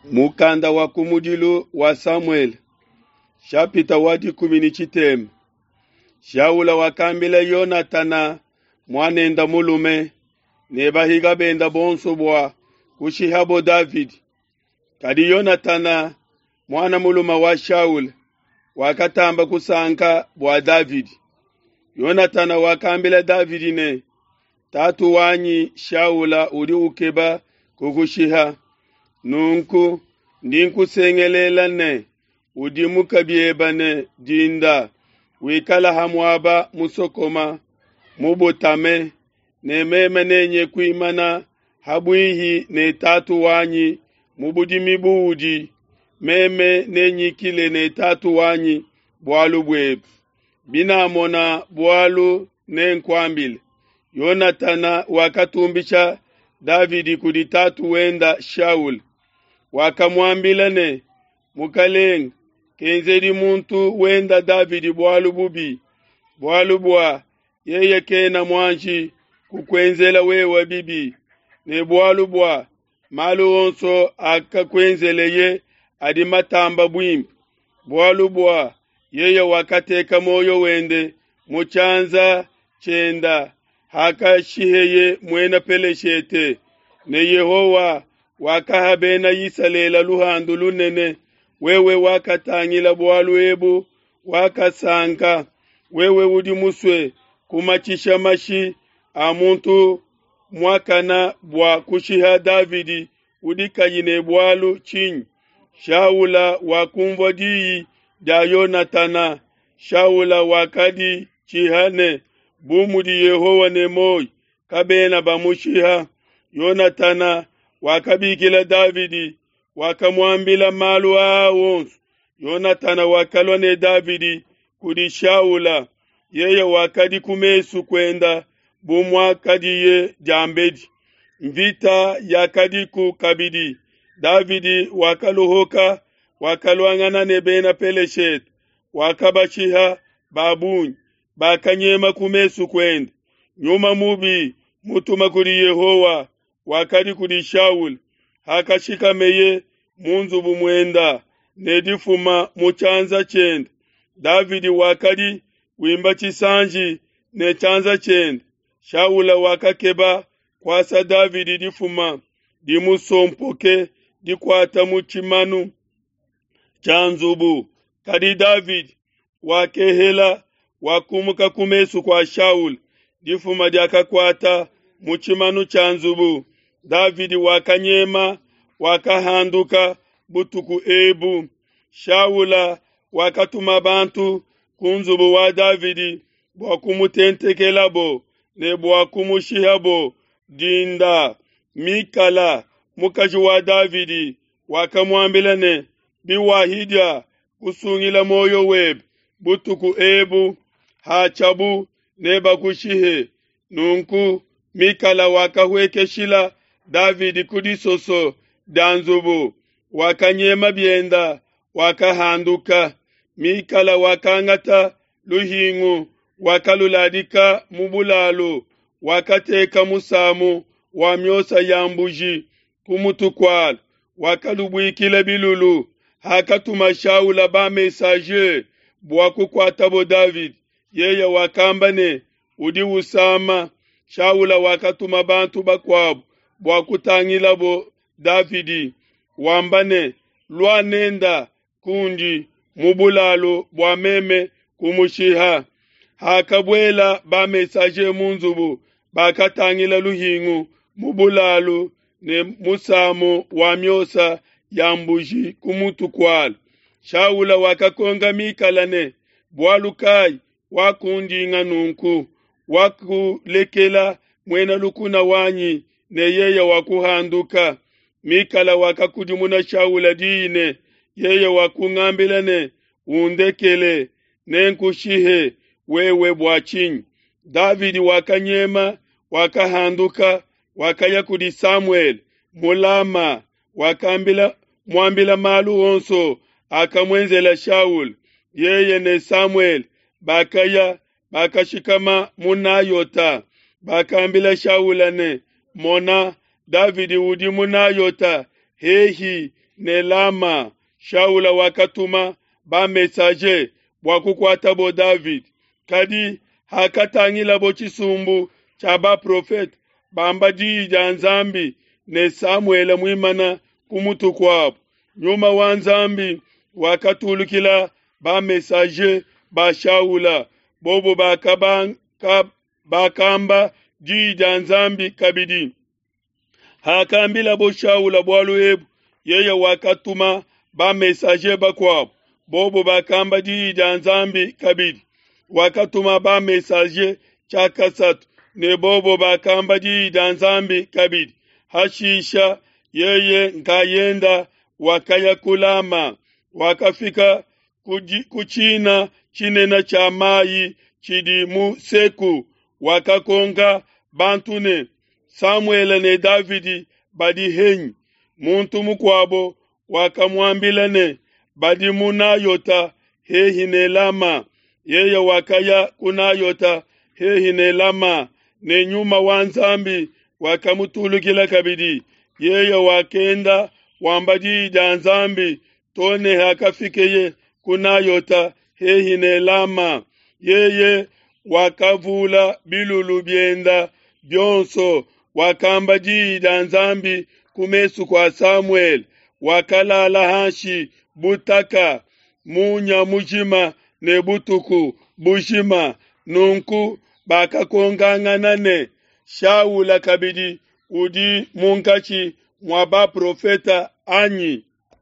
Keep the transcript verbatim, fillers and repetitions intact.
Mukanda wa kumudilu wa Samuele, shapita wa dikumi ne tshitema. Shaula wakambila Yonatana muanenda mulume ne bahiga benda bonso bua kushihabo Davidi. Kadi Yonatana muana mulume wa Shaula wakatamba kusanka bua Davidi. Yonatana wakambila Davidi ne, tatu wanyi Shaula udi ukeba kukushiha. Nunku ndi nkusengelela ne udimuke biebe ne dinda, wikala ha muaba musokoma mubutame, ne meme nenye kuimana ha buihi ne tatu wanyi mu budimi buudi, meme nenyikile ne tatu wanyi bualu buebe. Binamona bualu nenkuambile. Yonatana wakatumbisha Davidi kudi tatu wenda Shaula. Wakamuambila ne, Mukalenge, kenzedi muntu wenda Davidi bualu bubi, bualu bua yeye kena muanji kukuenzela wewe bibi, ne bualu bua malu onso akakuenzeleye adi matamba buimpe, bualu bua yeye wakateka muoyo wende mu tshianza tshienda hakashiheye muena Peleshete, ne Yehowa wakaha bena Isalele luhandu lunene. Wewe wakatangila bualu ebu, wakasanka. Wewe udi musue kumatshisha mashi a muntu muakana bua kushiha Davidi udi kayi ne bualu tshinyi? Shaula wakumvua diyi dia Yonatana. Shaula wakaditshiha ne, bu mudi Yehowa ne muoyo, kabena bamushiha. Yonatana wakabikila Davidi, wakamuambila malu aa onso. Yonatana wakalua ne Davidi kudi Shaula, yeye wakadi ku mesu kuenda bu muakadiye diambedi. Mvita yakadiku kabidi. Davidi wakaluhuka, wakaluangana ne bena Peleshete, wakabashiha ba bungi, bakanyema ku mesu kuende. Nyuma mubi mutuma kudi Yehowa wakadi kudi Shaula. Hakashikameye mu nzubu muenda ne difuma mu tshianza tshiende, Davidi wakadi wimba tshisanji ne tshianza tshiende. Shaula wakakeba kuasa Davidi difuma dimusompoke dikuata mu tshimanu tshia nzubu, kadi Davidi wakehela, wakumuka ku mesu kua Shaula. Difuma diakakuata mu tshimanu tshia nzubu. Davidi wakanyema, wakahanduka butuku ebu. Shaula wakatuma bantu ku nzubu wa Davidi bua kumutentekelabo ne bua kumushihabo dinda. Mikala mukaji wa Davidi wakamuambila ne, biwahidia kusungila muoyo webe butuku ebu, hatshiabu nebakushihe. Nunku Mikala wakahuekeshila Davidi ku disoso dia nzubu, wakanyema bienda, wakahanduka. Mikala wakangata luhingu, wakaluladika mu bulalu, wakateka musamu wa miosa ya mbuji ku mutu kualu, wakalubuikila bilulu. Hakatuma Shaula ba messager bua kukuatabo Davidi, yeye wakamba ne, udi usama. Shaula wakatuma bantu bakuabo bua kutangilabo Davidi, wamba ne, lua nenda kundi mu bulalu bua meme kumushiha. Hakabuela ba messager mu nzubu, bakatangila luhingu mu bulalu ne musamu wa miosa ya mbuji ku mutu kualu. Shaula wakakonka Mikala ne, bualu kai wakundinga nunku? Wakulekela muena lukuna wanyi ne yeye wakuhanduka. Mikala wakakudimuna Shaula diyi ne, yeye wakungambila ne, undekele, nenkushihe wewe bua tshinyi? Davidi wakanyema, wakahanduka, wakaya kudi Samuele mu Lama, wakambila muambila malu onso akamuenzela Shaula. Yeye ne Samuele bakaya, bakashikama mu Nayota. Bakambila Shaula ne, mona, Davidi udi mu Nayota hehi ne Lama. Shaula wakatuma ba-messager bua kukuatabo Davidi. Kadi hakatangilabo tshisumbu tshia baprofete bamba diyi dia Nzambi ne Samuele muimana ku mutu kuabo, Nyuma wa Nzambi wakatulukila ba-messager ba Shaula, bobo bakamba diyi dia Nzambi kabidi. Hakambilabo Shaula bualu ebu, yeye wakatuma ba-messager bakuabo, bobo bakamba diyi dia Nzambi kabidi. Wakatuma ba-messager tshiakasatu, ne bobo bakamba diyi dia Nzambi kabidi. Hashisha yeye nkayenda wakaya ku Lama, wakafika ku tshina tshinene tshia mai tshidi mu Seku, wakakonka bantu ne, Samuele ne Davidi badi henyi? Muntu mukuabo wakamuambila ne, Badi mu Nayota hehi ne Lama. Yeye wakaya ku Nayota hehi ne Lama, ne Nyuma wa Nzambi wakamutulukila kabidi. Yeye wakenda wamba diyi dia Nzambi to ne hakafikeye ku Nayota hehi ne Lama. Yeye wakavula bilulu bienda bionso, wakamba diyi dia Nzambi ku mesu kua Samuele. Wakalala hanshi butaka munya mujima ne butuku bujima. Nunku bakakonkangana ne, Shaula kabidi udi munkatshi mua baprofeta anyi?